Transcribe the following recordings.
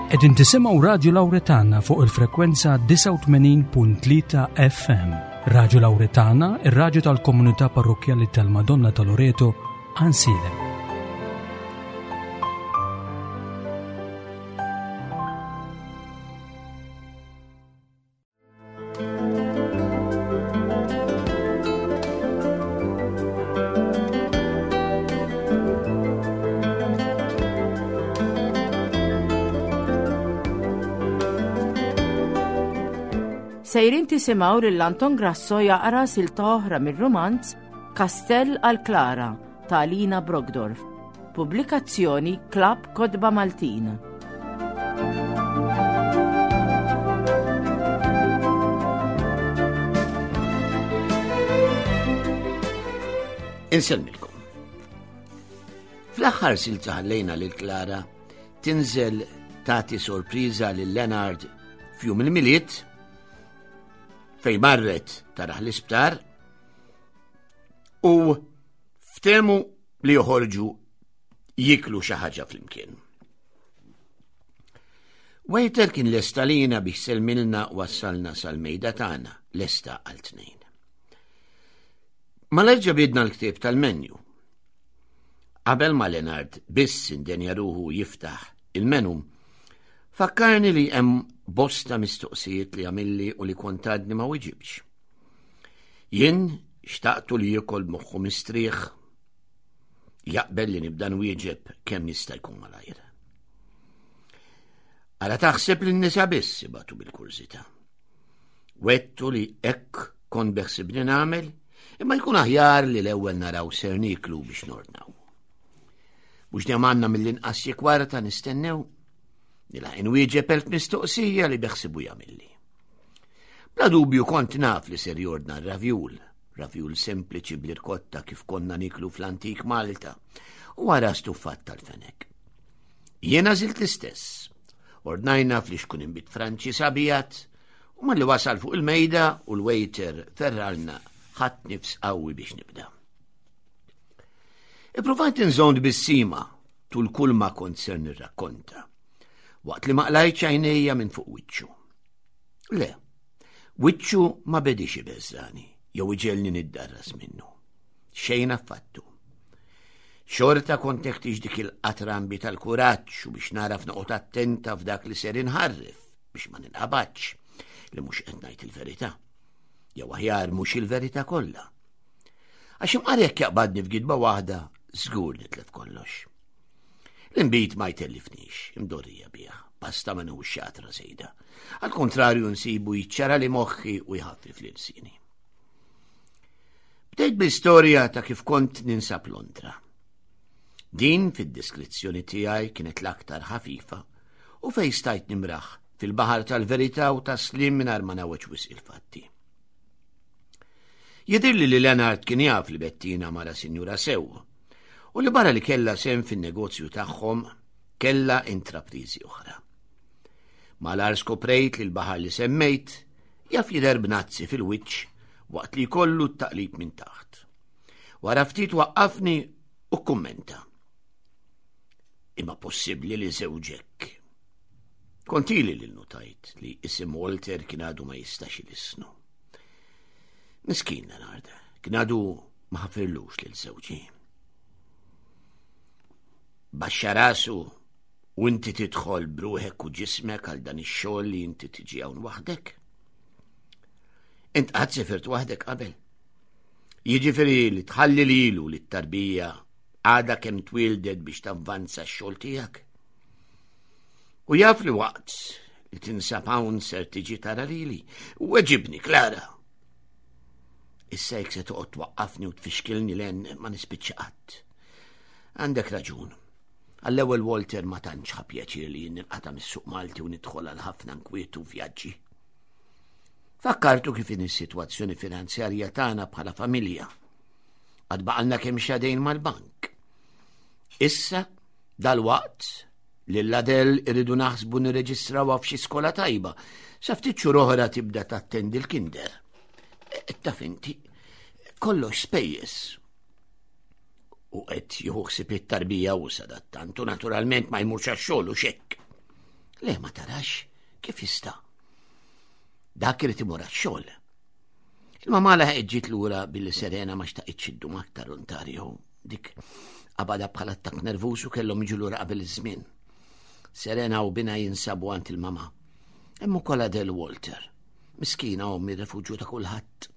Qegħdin tisimgħu Radju Lawretana fuq il-frekwenza 89.3 FM. Radju Lawretana, ir-radju tal-komunità parrokkjali tal-Madonna ta' Loreto, Ansilem. Sejrin tisimgħu lil Anton Grasso jaqra silta oħra mir-rumanz Kastell għal Klara ta' Alina Brogdorf. Pubblikazzjoni Klabb Kotba Maltin. Insellmilkom. Fl-aħħar silta ħallejna lil Klara tinżel tagħti sorpriża lil Leonard f'jum il-Milied fejn marret taraħ l-isptar u ftemu li joħorġu jiklu xi ħaġa flimkien. Waiter kien lesta lina biex selmilna wassalna sal-mejda tagħna lesta għal tnejn. Malajr ġabidna l-ktieb tal-menju. Qabel ma Leonard biss indenja ruħu jiftaħ il-menu, fakkarni li hemm bosta mistoqsijiet li għamilli u li kont għadni ma wiġibx. Jien xtaqtu li jiekol moħħu mistrieħ jaqbel li nibda nwieġeb kemm jista' jkun malajr. Ara taħseb li n-nisa biss ibatu bil-kurżità. Wettu li hekk kont beħsibni nagħmel, imma jkun aħjar li l-ewwel naraw ser niklu biex nordnaw. Mhux dejjem għandna mill-inqas xi kwarta nistennew, nilħaq inwieġeb elf mistoqsija li beħsibu jagħmilli. Bla dubju kont naf li ser jordna r-ravjul, ravjul sempliċi bl-irkotta kif konna niklu fl-antik Malta, u wara stuffat tal-fenek. Jiena żilt l-istess. Ordnajna fl-ixkun imbit Franċi sabijat, u malli wasal fuq il-mejda u l-waiter ferralna ħadd nifs qawwi biex nibda. Ippruvajt inżond bis-sima tul kull ma kont ser nirrakkonta, waqt li ma qlajtx għajnejja minn fuq wiċċu. Le, wiċċu ma bedix ibeżżani jew iġelni niddarras minnu. Xejn affattu. Xorta kont neħtieġ dik il-qatrambi tal-kuraġġ u biex naraf noqgħod attenta f'dak li ser inħarref biex ma ninqabadx li mhux qed ngħid il-verità. Jew aħjar mhux il-verità kollha. Għax imqar jekk jaqbadni f'gidba waħda, żgur nitlef kollox. L-inbid ma jtellifnix, imdorrija bih, basta ma nħux xatra sejda. Għal kontrarju nsibu jiċċara li moħħi u jħaffif li lsini. Bdejt bl-istorja ta' kif kont ninsab Londra. Din fid-diskrizzjoni tiegħi kienet l-aktar ħafifa u fej stajt nimraħ fil-baħar tal-verità u taslim mingħajr ma nawweġ wisq il-fatti. Jidhirli li Leonard kien jaf li Bettina mara sinjura sew u li barra li kellha sehem fin-negozju tagħhom kellha intrapriżi oħra. Malar skoprejt li l-baħar li semmejt jaf jidher b'nazzi fil-wiċċ waqt li jkollu t-taqlib minn taħt. Wara ftit waqqafni u kummenta. Imma possibbli li żewġek. Kontili li notajt li isim Walter kien għadu ma jistax ilisnu. Miskin Leonard, kien għadu ma ħafirlux lil żewġi. Baxxa rasu u inti tidħol bruħek u ġismek għal dan ix-xogħol li inti tiġi hawn waħdek. Int qatt sifirt waħdek qabel. Jiġifieri li tħalli lilu li t-tarbija għadha kemm twildet biex tavvanza x-xogħol tiegħek. U jaf li waqt li tinsab hawn ser tiġi tara lili. Weġibni, Klara. Issa jekk se toqgħod twaqqafni u tfixkilni len ma nispiċċa qatt. Għandek raġun. Għall-ewwel Walter ma tantx ħa pjaċir li jien ninqata' mis-suq Malti u nidħol għal ħafna nkwiet u vjaġġi. Fakkartu kif in is-sitwazzjoni finanzjarja tagħna bħala familja. Għad baqalna kemm xadejn mal-bank. Issa Dalwaqt, lil Adele irridu naħsbu nirreġistrawha f'xi skola tajba, sa ftit xhur oħra tibda tattendi l-kinder. E, taf inti, kollox spejjeż. U qed jieħu ħsieb it-tarbija u sadattant u naturalment ma jmurx għax-xogħol u xekk. Le ma tarax kif jista'. Dak irid imur għax-xogħol. Il-mamà laħqet ġiet lura billi Serena ma xtaqitx iddum aktar Ontario. Dik qabadha bħala attakk nervuż u kellhom jiġu lura qabel iż-żmien. Serena u binha jinsabu għand il-mamà. Hemm ukoll Adele Walter. Miskina ommi refuġju ta' kulħadd.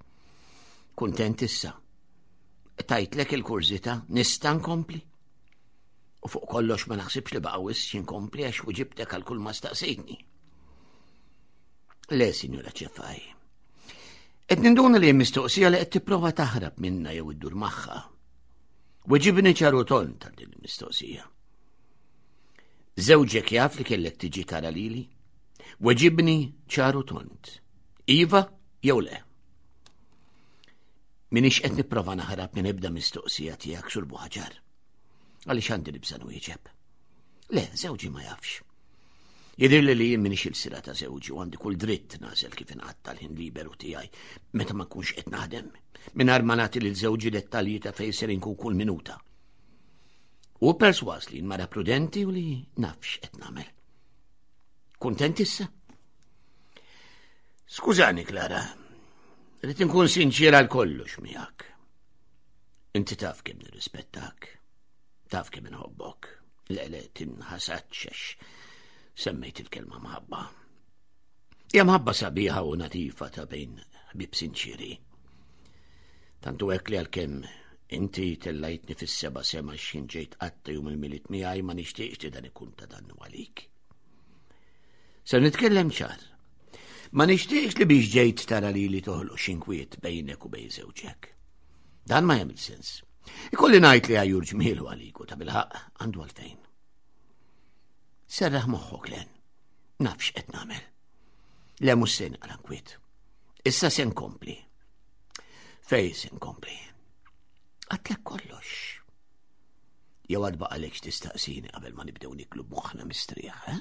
Kuntent issa. Tajtlek il-kurżità, nista' nkompli? U fuq kollox ma naħsibx li baqa' wisq x'inkompli għax wiġibtek għal kull ma staqsejtni. Le, Sinjura Ċefaj. Qed ninduna li hemm mistoqsija li qed tipprova taħrab minna jew iddur magħha. Weġibni ċaru ton tal din il-mistoqsija. Żewġek jaf li kellek tiġi tara lili? Weġibni ċaru tont. Iva jew le? Minix qed nipprova naħrab minn ebda mistoqsija tiegħek sur Buħaġar. Għaliex għandi nibża' nwieġeb. Le, żewġi ma jafx. Jidhirli li jien minix il-sira ta' żewġi u għandi kull dritt nagħżel kif inqatta' l-ħin liberu tiegħi meta ma nkunx qed naħdem, mingħajr ma nagħti lil żewġi dettalji ta' fejn ser inkun kull minuta. U persważ li mara prudenti u li naf x'qed nagħmel. Kuntent issa? Skużani, Klara, rrid inkun sinċiera għal kollox miegħek. Inti taf kemm nirrispettak, taf kemm inħobbok. Le, le, tinħasadx għax semmejt il-kelma mħabba. Hija mħabba sabiħa u nadifa ta' bejn ħbib sinċiri. Tantu hekk li għalkemm inti tellajtni fis-seba' sema x'ħin ġejt qatta jum il-miliet miegħi ma nixtieqx li dan ikun ta' dannu għalik. Se nitkellem ċar. Ma nixtieqx li biex ġejt tara li li toħloq xinkwiet bejnek u bejn żewġek. Dan ma jagħmel sens. Ikolli ngħid li għajur ġmielu għalik u ta' bilħaq għandu għalfejn. Serraħ moħħok len. Naf x'qed nagħmel. Le mhux se naqra nkwiet. Issa se nkompli. Fej se nkompli. Għatlek kollox. Jew għad baqalek x'tistaqsini qabel ma nibdew niklu b'moħħna mistrieħ, eh?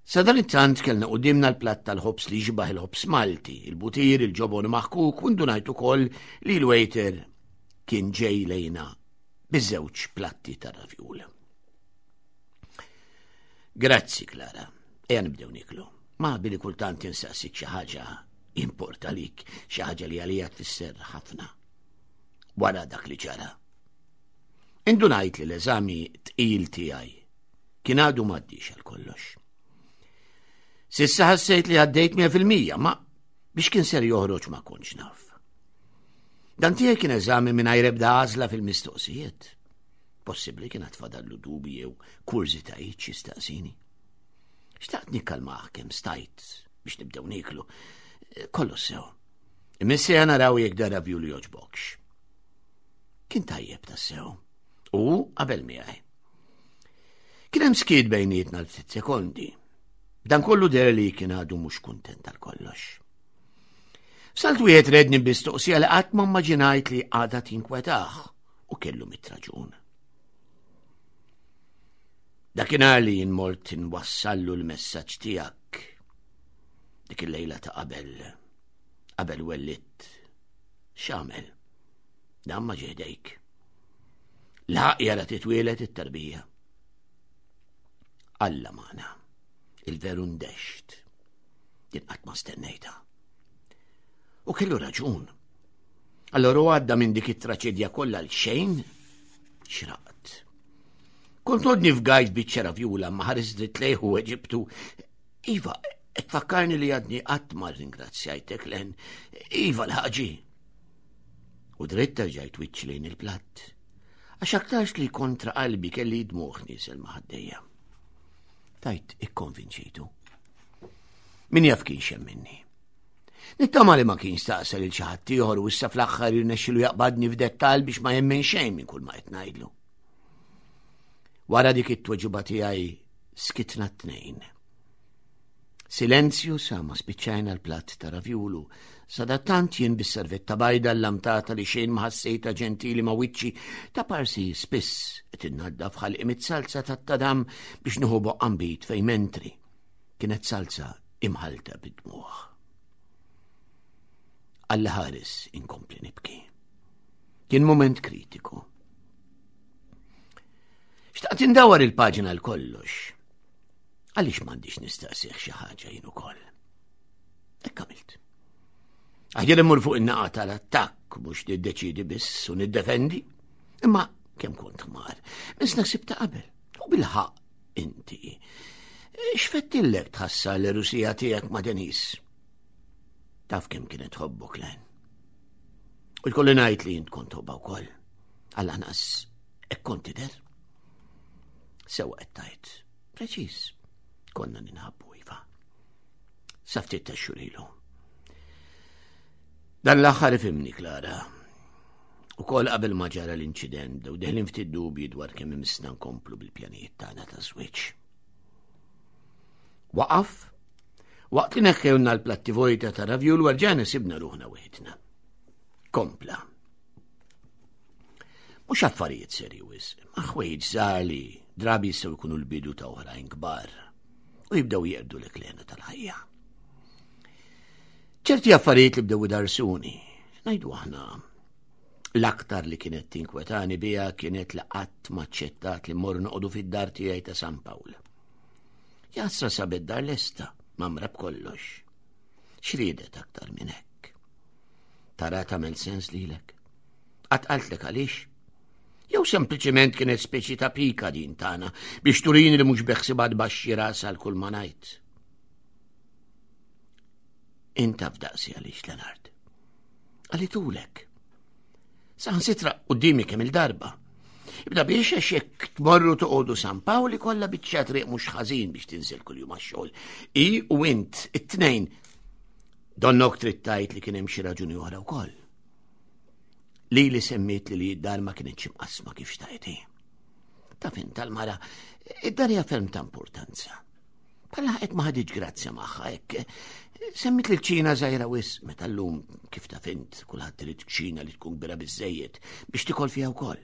Sadanittant kellna quddiemna l-platt tal-ħobż li jixbah il-ħobż Malti, il-butir, il-ġobon maħkuk u ndunajt ukoll li l-waiter kien ġej lejna biż-żewġ platti tar-ravjul. Grazzi, Klara. Ejja nibdew niklu. Ma billi kultant insaqsik xi ħaġa importa lik, xi ħaġa li għalija tfisser ħafna. Wara dak li ġara. Indunajt li l-eżami tqil tiegħi Kien għadu m'għaddix għal kollox. Sissa ħassejt li għaddejt 100% ma biex kien ser joħroġ ma kontx naf. Dan tiegħi kien eżami mingħajr ebda għażla fil-mistoqsijiet. Possibbli kien għatfadallu dubi jew kurżitajiet xi staqsini. Xtaqt nikkalmah kemm stajt biex nibdew niklu. Kollu sew. Imissija naraw jekk dara vju li joġbokx. Kien tajjeb tassew. U qabel miegħi. Kien hemm skiet bejnietna l-ftit sekondi. Dan kollu der li kien għadu mhux kuntent għal kollox. Salt wieħed redni bistoqsija li qatt ma immaġinajt li għadha tinkwetah u kellu mitraġun. Dakinhar li jien mort inwassallu l-messaġġ tiegħek dik il-lejla ta' qabel qabel wellidt x'għamel? Dan ma ġehdejk. Laħaq jara titwielet it-tarbija. Alla magħna, il-veru ndext. Din qatt ma stennejta. U kellu raġun. Allora u għadda minn dik it-traċedja kollha l xejn xraqt. Kont għodni f'gajt biċċa ravjula ma ħares dritt lejh u Eġiptu. Iva, tfakkarni li għadni qatt ma ringrazzjajtek len. Iva l-ħaġi. U dritt terġajt wiċċ lejn il-platt. Għax aktarx li kontra qalbi kelli dmuħ niesel ma' ħaddejja. Tajt ikkonvinċejtu. Min jaf kien xemminni. Nittama li ma kien staqsa lil xi ħadd ieħor u issa fl-aħħar jirnexxilu jaqbadni f'dettall biex ma jemmen xejn minn kull ma qed ngħidlu. Wara dik it-tweġiba tiegħi skitna t-tnejn. Silenzju sa ma spiċċajna l-platt ta' ravjulu. Sadattant jien bis-servetta bajda llamtata li xejn ma ħassejtha ġentili ma' wiċċi ta' parsi spiss qed innaddaf ħalqi mit-salza tat-tadam biex nieħu boqqa nbid fejn mentri. Kienet salza imħallta bid-dmugħ. Alla ħares inkompli nibki. Kien moment kritiku. Xtaqt indawar il-paġna l-kollox. Għaliex m'għandix nistaqsih xi ħaġa jien ukoll? Hekk għamilt. Aħjar immur fuq in-naqa tal-attakk mhux niddeċidi biss u niddefendi. Imma kemm kont ħmar, biss naħsib ta' qabel. U bil-ħaq inti. X'fettillek tħassar l-erusija tiegħek ma' Denis? Taf kemm kienet tħobbok Len. U jkolli ngħid li int kont tħobbha wkoll. Għall-anqas hekk kont tidher. Sewa qed tgħid. Preċiż. Konna ninħabbu iva. Sa ftit ta' xhur ilu. Dan l-aħħar ifimni Klara. U kol qabel ma ġara l-inċident bdew deħlin ftit dubji dwar kemm imissna nkomplu bil-pjanijiet tagħna ta' żwieġ. Waqaf, waqt li neħħewna l-platti vojta ta' ravjul warġana sibna ruħna wieħedna. Kompla. Mhux affarijiet serji wisq, ma ħwejġ żgħar li drabi jistgħu jkunu l-bidu ta' oħrajn kbar u jibdew jeqdu l-eklena tal-ħajja. Ċerti affarijiet li bdew idarsuni, ngħidu aħna l-aktar li kienet tinkwetani biha kienet li qatt maċċettat li mmorru noqogħdu fid-dar tiegħi ta' San Pawl. Jasra sabet dar lesta, mamra b'kollox. X'riedet aktar minn hekk? Tara tagħmel sens lilek? Qatt qaltlek għaliex? Jew sempliċement kienet speċi ta' pika din tagħna biex turini li mhux beħsibha tbaxxi rasha għal kull ma ngħid. Inta f'daqsi għaliex Leonard. Għalitulek. Saħansitra qudiemi kemm il-darba. Ibda biex għax jekk tmorru toqogħdu San Pawli kollha biċċa triq mhux ħażin biex tinżel kuljum għax-xogħol. I u int it-tnejn donnok trid tgħid li kien hemm xi raġuni oħra wkoll. Li li semmiet li li d-dar ma kienx imqasma kif xtajti. Ta' fin tal-mara, id-dar hija ferm ta' importanza. Bħala qed ma ħadiġ grazzja magħha hekk. Semmit li ċina żgħira wis meta llum kif ta' fint kulħadd irid ċina li tkun kbira biżejjed biex tikol fiha wkoll.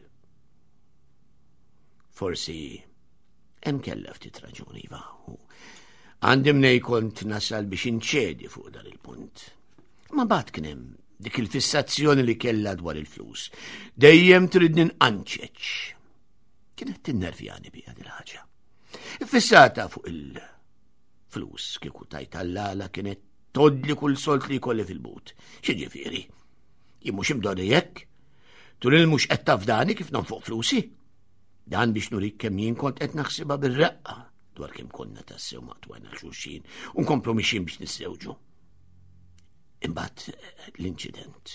Forsi hemm kellha ftit raġuni iva. Għandi mnej kont nasal biex inċedi fuq dan il-punt. Ma bat kien hemm dik il-fissazzjoni li kellha dwar il-flus. Dejjem trid ninqanċeċ. Kienet tinnervjani bija dil ħaġa. Fissata fuq il-flus kieku tajt għall-għala kienet todli kull solt li jkolli fil-but. X'ġifieri? Jien mhux imdorri hekk? Tul il mhux qed tafdani kif nonfoq flusi? Dan biex nurik kemm jien kont qed naħsibha bir-reqqa dwar kemm konna tassew maqtwajna xulxin u nkomplu mixin biex niżżewġu. Imbagħad eh, l-inċident.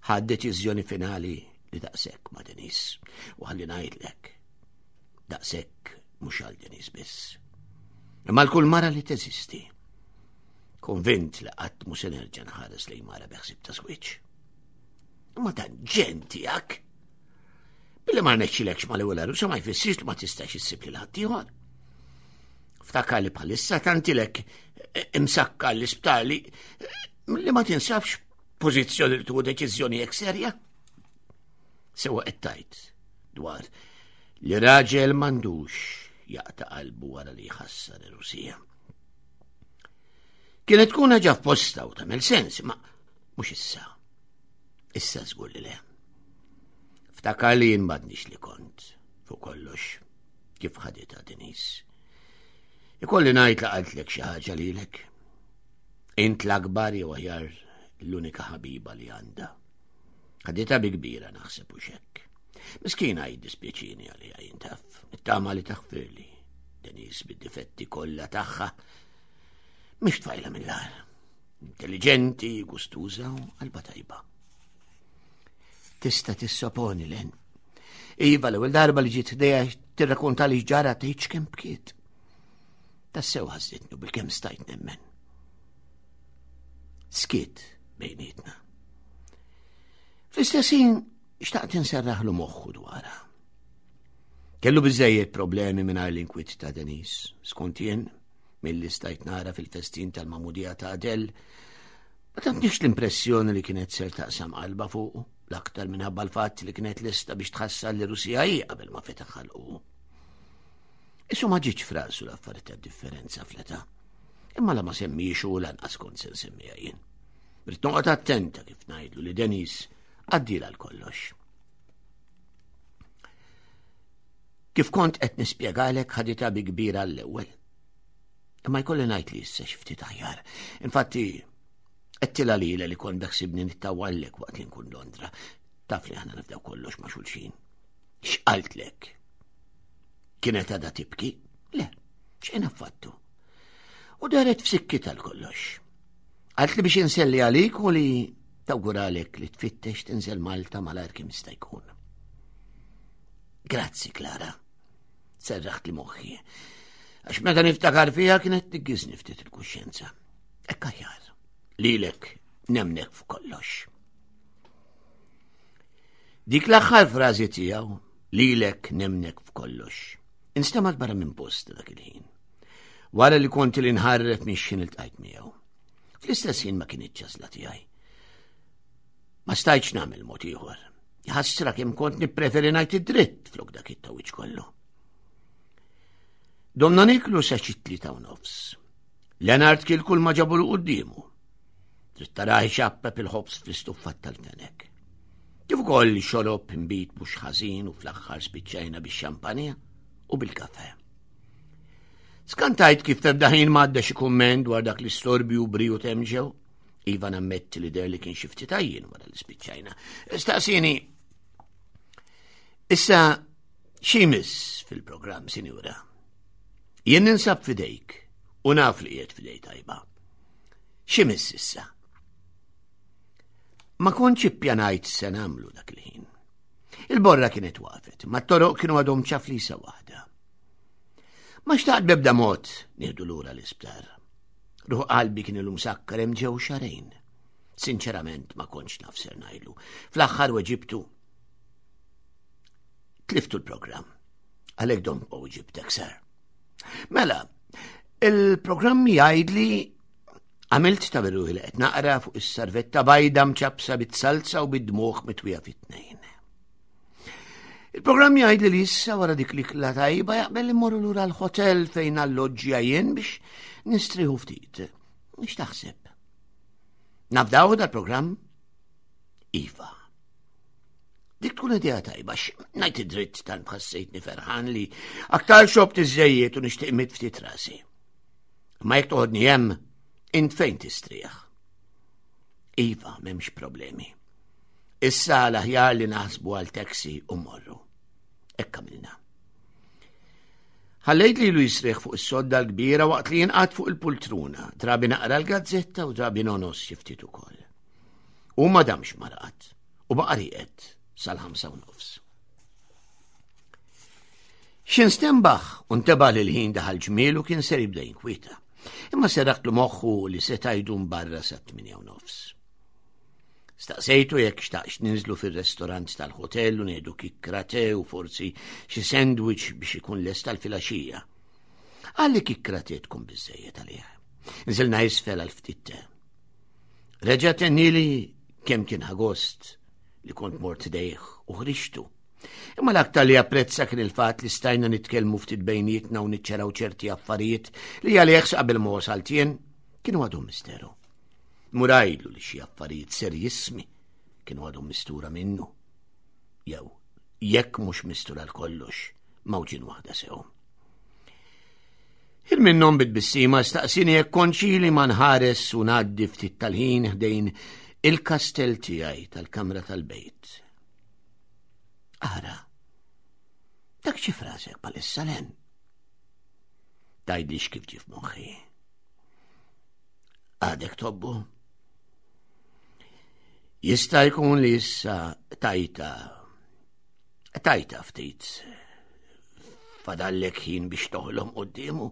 Ħad deċiżjoni finali li daqshekk ma' Denis u ħalli ngħidlek daqshekk mhux għal Denis biss. Imma l-kull mara li teżisti. Konvint li qatt mhu se nerġa' nħares lejn mara beħsib ta' żwieġ. Imma dan ġen tiegħek. Billi ma rnexxilekx mal-ewwel għarusa ma jfissirx li ma tistax issib lil ħaddieħor. Ftakar li bħalissa tantilek eh, imsakka l-isptar li eh, li ma tinsabx pożizzjoni li tuħu deċiżjoni hekk serja. Sewa qed tajt dwar li raġel m'għandux jaqta' qalbu wara li jħassar ir-Rusija. Kienet tkun ħaġa f'posta u tagħmel sens, ma mhux issa. Issa żgur li le. Ftakar li jien m'għadnix li kont fuq kollox kif ħaditha Denis. Ikolli ngħid li qaltlek xi ħaġa lilek. Int l-akbar jew aħjar l-unika ħabiba li għandha. Ħaditha bi kbira naħseb u xekk. Miskina jiddispjaċini għalija jintaf, nittama li taħfirli. Denis bid-difetti kollha tagħha. Mhix tfajla mill-ar. Intelligenti, gustuża u qalba tajba. Tista' tissoponi len. Iva l-ewwel darba li ġiet ħdejha tirrakonta li ġara tgħidx kemm bkiet. Tassew ħażitni bil-kemm stajt nemmen. Skiet bejnietna. Fl-istess ħin xtaqt inserraħlu moħħu dwarha. Kellu biżejjed problemi mingħajr l-inkwiet ta' Denis, skont jien, milli stajt nara fil-festin tal-mamudija ta' Adel, ma tantniex l-impressjoni li kienet ser taqsam qalba fuqu, l-aktar minħabba l-fatt li kienet lesta biex tħassar li Rusija hi qabel ma fetaħ ħalqu. Isu ma ġietx frasu l-affarijiet ta' differenza fl-età. Imma la ma semmiex u lanqas kont se nsemmiha jien. Rrid noqgħod attenta kif ngħidlu li Denis għaddila l-kollox. Kif kont qed nispjegalek ħaditha bi kbira l-ewwel. Imma jkolli ngħid li issa xi ftit aħjar. Infatti, għedtilha lilha li kont beħsibni nittawallek waqt li nkun Londra. Taf li aħna nafdaw kollox ma' xulxin. X'qaltlek? Kienet għadha tibki? Le, xejn affattu. U daret f'sikkitha l-kollox. Għalt li biex inselli għalik u li tawguralek li tfittex tinżel Malta malajr kemm jista' jkun. Grazzi, Klara. Serraħt li moħħi. Għax meta niftakar fiha kienet tiggiżni ftit il-kuxjenza. Ekk aħjar. Lilek nemnek f'kollox. Dik l-aħħar frażi tiegħu, lilek nemnek f'kollox. Instemgħet barra minn post dak il-ħin. Wara li kont li nħarref minn xin iltqajt miegħu. Fl-istess ħin ma kienitx ċasla tiegħi. Ma stajtx nagħmel mod ieħor. Ħassra kemm kont nippreferi ngħid id-dritt flok dak it-tawiċ kollu. Domna niklu sa xi 3:30. Leonard kien kull ma ġabu l quddiemu. Trid taraħ ixappep il-ħobż fl-istuffat tal-fenek. Kif ukoll xorob imbit mhux ħażin u fl-aħħar spiċċajna bix-xampanja u bil-kafe. Skantajt kif f'ebda ħin m'għadda xi kumment dwar dak l-istorbju briju temġew. Iva nammetti li der li kien xi ftit għajjien wara li spiċċajna. Staqsini, issa xi fil-programm, sinjura? Jien ninsab fidejk u naf li qiegħed fidej tajba. X'imiss issa? Ma kontx ippjanajt se nagħmlu dak il-ħin. Il-borra kienet waqfet, ma t-toroq kienu għadhom ċaflisa waħda. Ma xtaqt bebda mod nieħdu lura l-isptar. Ruħ qalbi kien ilu msakkar hemm ġew xarejn. Sinċerament ma kontx naf ser ngħidlu. Fl-aħħar weġibtu tliftu l-programm. Għalhekk dom u ġibtek ser. Mela, il-programm jgħidli għamilt ta' veru li qed naqra fuq is-sarvetta bajda mċabsa bit-salza u bid-dmuħ mitwija fit-tnejn. Il-programm jgħid li issa wara dik l-ikla tajba jaqbel immorru lura l-hotel fejn alloġġja jien biex nistrieħu ftit. X'taħseb? Nafdaw dal-programm? Iva. Dik tkun idea tajba, ngħid id-dritt tant ħassejtni ferħan li aktar xobt iżejjed u nixtieq mit ftit rasi. Ma jekk toħodni hemm, int fejn tistrieħ? Iva, m'hemmx problemi. Issa l-aħjar li naħsbu għal taxi u morru. Hekk għamilna. Ħallejt li jisriħ fuq is-sodda l-kbira waqt li jinqat fuq il-pultruna, drabi naqra l-gazzetta u drabi nonos xi ftit ukoll. U ma damx marqat u baqa' rieqed sal-ħamsa u nofs. X'in stembaħ u nteba' li l-ħin daħal ġmielu kien ser jibda jinkwieta. Imma serraħtlu moħħu li seta' jdum barra sa' 8 u nofs. Staqsejtu jekk xtaqx ninżlu fir-restorant tal-hotel u nieħdu kikkra te u forsi xi sandwich biex ikun lest tal-filgħaxija. Għalli kikkra te tkun biżejjed għalih. Nżilna isfel għal ftit te. Reġa' tennili kemm kien ħagost li kont mort dejh u ħriġtu. Imma l-aktar li apprezza kien il-fatt li stajna nitkellmu ftit bejnietna u niċċaraw ċerti affarijiet li għalih qabel ma wasalt jien kienu għadhom misteru. Murajlu li xi affarijiet serjissmi kienu għadhom mistura minnu. Jew, jekk mhux mistura l-kollox, mawġin waħda sew. Il minnhom bit-tbissima staqsini jekk konxi li ma nħares u ngħaddi ftit tal-ħin ħdejn il-kastell tiegħi tal-kamra tal-bejt. Ara, dak xi frasek palissa len. Tajdlix kif ġif moħħi. Għadek tobbu? Jista' jkun li issa tajta Tajta ftit. Fadallek ħin biex toħlom quddiemu.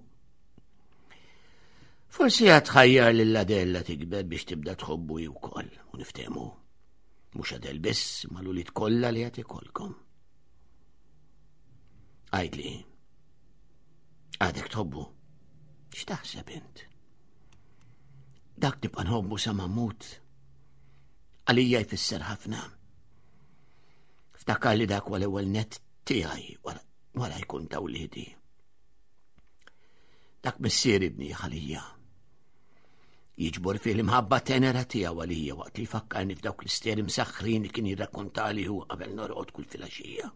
Forsi għad tħajjar lil Adella tikber biex tibda tħobbu hi wkoll u niftehmu. Mhux Adel biss, ma l-ulied kollha li qed ikolkom. Għidli, għadek tħobbu? X'taħseb int? Dak nibqa' nħobbu sa ma mmut. Għalija jfisser ħafna. Ftakar li dak huwa l-ewwel net tiegħi wara jkun ta' wliedi. Dak missier ibni għalija. Jiġbor fih l-imħabba tenera tiegħu għalija waqt li jfakkarni f'dawk l-isteri msaħħrin li kien jirrakkontali hu qabel norqod kull filgħaxija.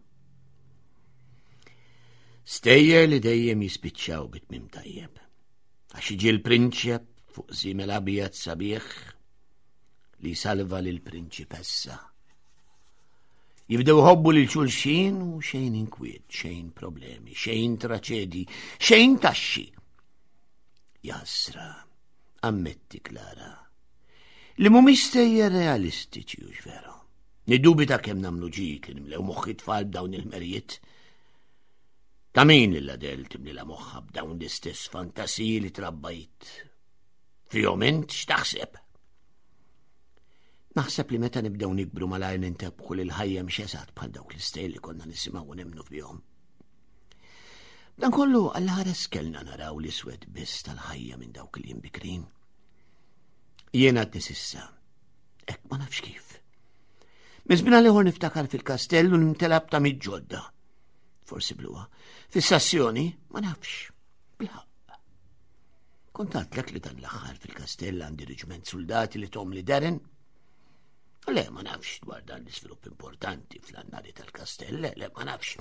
Stejjer li dejjem jispiċċaw bit-tmiem tajjeb. Għax jiġi l-prinċep fuq żiemel abjad sabiħ li salva lil prinċipessa. Jibdew ħobbu lil xulxin u xejn inkwiet, xejn problemi, xejn traċedi, xejn taxxi. Jasra, ammetti Klara, li mhumiex stejjer realistiċi u veru. Niddubita kemm nagħmlu ġid li nimlew moħħi tfal b'dawn il-merjiet. Ta' min lil Adel timlilha moħħha b'dawn l-istess fantasiji li trabbajt? Fihom int x'taħseb? Naħseb li meta nibdew nikbru malajr nintebħu li l-ħajja mhix eżatt bħal dawk l-istejl li konna nisimgħu u nemmnu fihom. Dan kollu għall-ħares kellna naraw l-iswed biss tal-ħajja minn dawk li jimbikrin. Jiena għadni sissa, hekk ma nafx kif. Minn żmien għal ieħor niftakar fil-kastell u nimtela b'tamiet ġodda. Forsi bluha. Fissazzjoni, ma nafx. Bilħaqq. Kont għadtlek li dan l-aħħar fil-kastell għandi reġiment soldati li tom li Darren? Le, ma nafx dwar dan l-iżvilupp importanti fl-annali tal-kastell, le, le, ma nafx.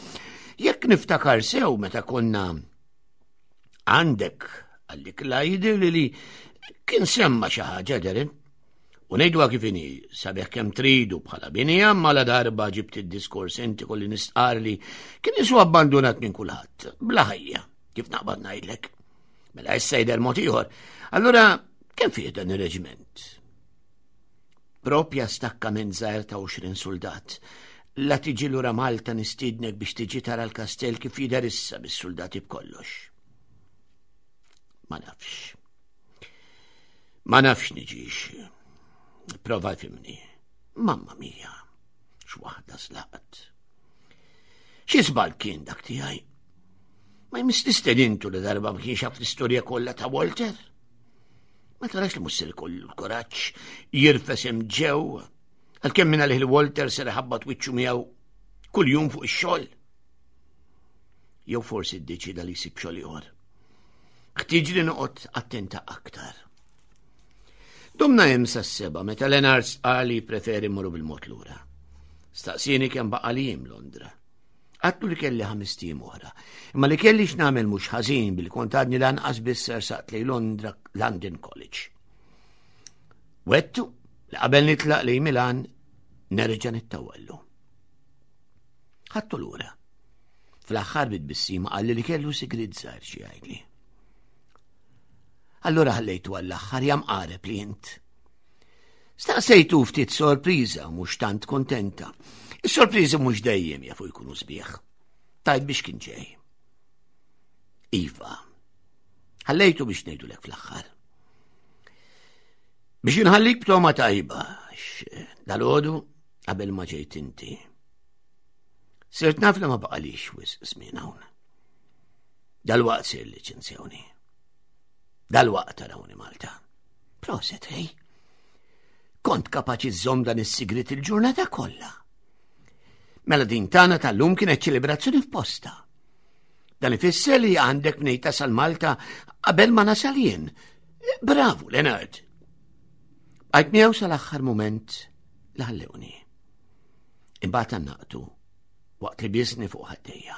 Jekk niftakar sew meta konna għandek għallik la jidir li li kien semma xi ħaġa Darren. U ngħiduha kif inhi, sabiħ kemm tridu bħala bini imma la darba ġibt id-diskors inti kolli nistqar li kien isu abbandunat minn kulħadd, bla ħajja, kif naqbad ngħidlek. Mela issa jidher mod ieħor. Allura kemm fih dan ir-reġiment? Propja stakkament żgħir ta' 20 suldat. La tiġi lura Malta nistiednek biex tiġi tara l-kastell kif jidher issa bis-suldati b'kollox. Ma nafx. Ma nafx niġix. Prova fimni. Mamma mia, x'waħda zlaqt. Xi żball kien dak tiegħi? Ma jmiss nistedintu li darba ma kienx jaf l-istorja kollha ta' Walter. Ma tarax li mhux ser ikollu l-kuraġġ jirfes hemm ġew għalkemm minn għalih li Walter ser iħabbat wiċċu miegħu kuljum fuq ix-xogħol. Jew forsi ddeċida li jsib xogħol ieħor. Ħtieġ li noqgħod attenta aktar. Domna hemm sas-seba meta Lenard stqar li jippreferi mmorru bil-mod lura. Staqsieni kemm baqa' li jiem Londra. Għattu li kelli ħames tim oħra. Imma li kelli x'nagħmel mhux ħażin billi kont għadni lanqas biss sersaqt lejn Londra London College. Wettu li qabel nitlaq lejn Milan nerġa' nittawallu. Ħadtu lura. Fl-aħħar bit-tbissima qalli li kellu sigriet żgħir xi jgħidli. Allura ħallejtu għall-aħħar jam qareb li int. Staqsejtu ftit sorpriża mhux tant kontenta. Is-sorpriżi mhux dejjem jafu jkunu sbieħ. Tajt biex kien ġej. Iva, ħallejtu biex ngħidulek fl-aħħar. Biex inħallik b'toma tajba, dal-għodu qabel ma ġejt inti. Sirt naf li ma baqalix wisq żmien hawn. Dalwaqt sir liċenzjawni. Dalwaqt tarawni Malta. Proset, hej. Kont kapaċi żżomm dan is-sigrit il-ġurnata kollha. Mela din tagħna tal-lum kienet ċelebrazzjoni f'posta. Dan ifisser li għandek mnej tasal Malta qabel ma nasal jien. Bravu, Leonard. Għajt miegħu sal-aħħar mument li ħallewni. Imbagħad għannaqtu waqt li biesni fuq ħaddejja.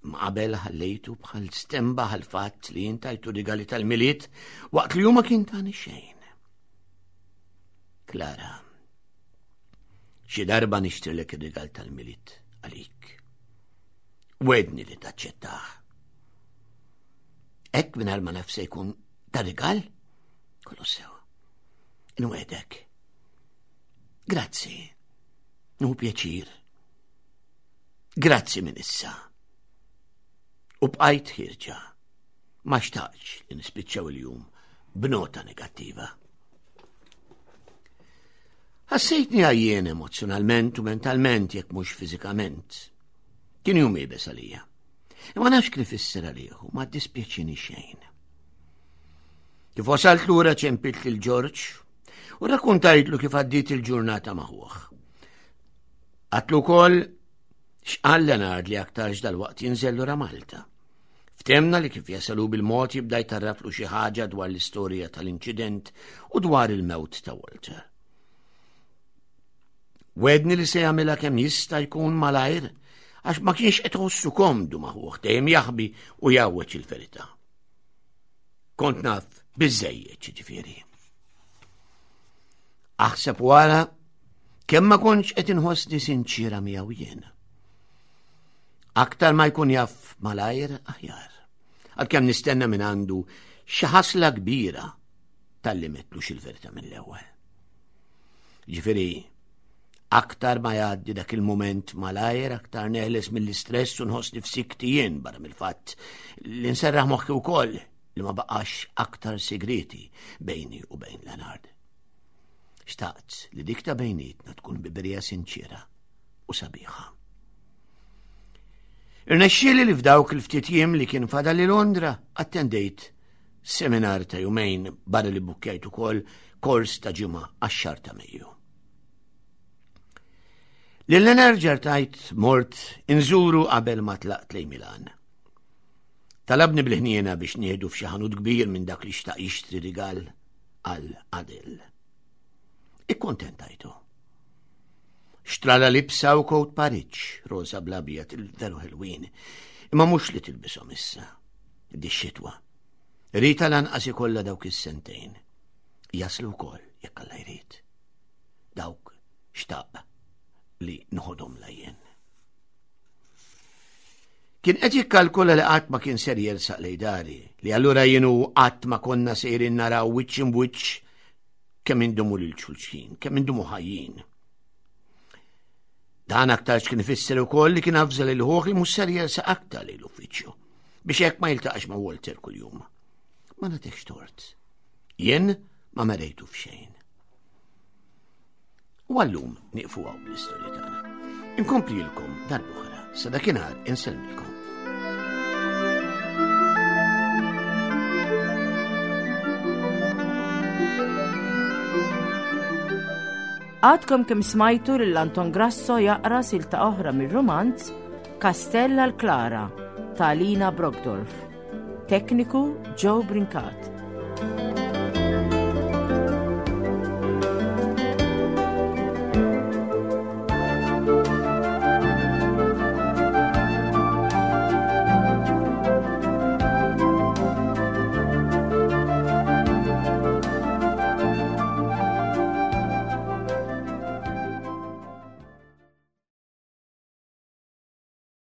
Ma qabel ħallejtu bħal stemba għal fatt li jintajtu rigali tal-miliet waqt li huma kien tani xejn. Klara, xi darba nixtrilek ir-rigal tal-miliet għalik. Wedni li taċċettah. Hekk mingħajr ma naf se jkun ta' rigal, kollu sew. Nwedek. Grazzi. Nuhu pjaċir. Grazzi minn issa. U bqajt ħirġa. Ma xtaqx li nispiċċaw il-jum b'nota negattiva. Ħassejtni għajjien emozjonalment u mentalment jekk mhux fiżikament. Kien jum iebes għalija. Imma nafx kif ifisser għalih u ma ddispjaċini xejn. Kif wasalt lura ċempilt lil Ġorġ u rakkuntajtlu kif għaddiet il-ġurnata maħuħ. Għatlu wkoll x'qal Leonard li aktarx dal-waqt jinżel lura Malta. Ftemna li kif jasalu bil-mod jibda jtarraflu xi ħaġa dwar l-istorja tal-inċident u dwar il-mewt ta' Walter. Wedni li se jagħmilha kemm jista' jkun malajr. għax ma kienx qed iħossu komdu ma' ħuh dejjem jaħbi u jgħawweġ il-verità. Kont naf biżejjed ġifieri. Aħseb wara kemm ma kontx qed inħossni sinċira miegħu jien. Aktar ma jkun jaf malajr aħjar. Għalkemm nistenna minn għandu xi ħasla kbira talli metlux il-verità mill-ewwel. Ġifieri, aktar ma jgħaddi dak il-moment malajr, aktar neħles mill-istress u nħossni f'sikti jien barra mill-fatt li nserraħ moħħi wkoll li ma baqax aktar segreti bejni u bejn Leonard. Xtaqt li dik ta' bejnietna tkun biberija sinċira u sabiħa. Irnexxieli li f'dawk il-ftit jiem li kien fadal li Londra attendejt seminar ta' jumejn barra li bukkjajt ukoll kors ta' ġimgħa għax-xahar ta' Mejju. Lil Leonard tajt mort inżuru qabel ma tlaqt lejn Milan. Talabni bil-ħniena biex nieħdu f'xi ħanut kbir minn dak li xtaq jixtri rigal għal Adel. Ikkontentajtu. Xtrala libsa u kowt pariċ, rosa blabjat il-veru ħelwin, imma mhux li tilbishom issa, di xitwa. Rita lanqas ikollha dawk is-sentejn. Jaslu wkoll jekk Alla jrid. Dawk xtaq li nħodhom lajjen. Kien qed jikkalkula li qatt ma kien ser jersaq lej dari, li allura jien u qatt ma konna sejrin naraw wiċċ imbwiċċ kemm indumu lil xulxin, kemm indumu ħajjin. Dan aktarx kien ifisser ukoll li kien avża lil ħuh li mhux ser jersaq aktar lejn l-uffiċċju biex hekk ma jiltaqax ma' Walter kuljum. Ma nagħtekx tort. Jien ma merejtu f'xejn. U għallum nieqfu hawn bl-istorja tagħna. Inkomplilkom darb'oħra, sa dakinhar insellmilkom. Għadkom kemm smajtu lil Anton Grasso jaqra silta oħra mir-rumanz Kastell għal Klara ta' Lina Brockdorf. Tekniku Joe Brincat.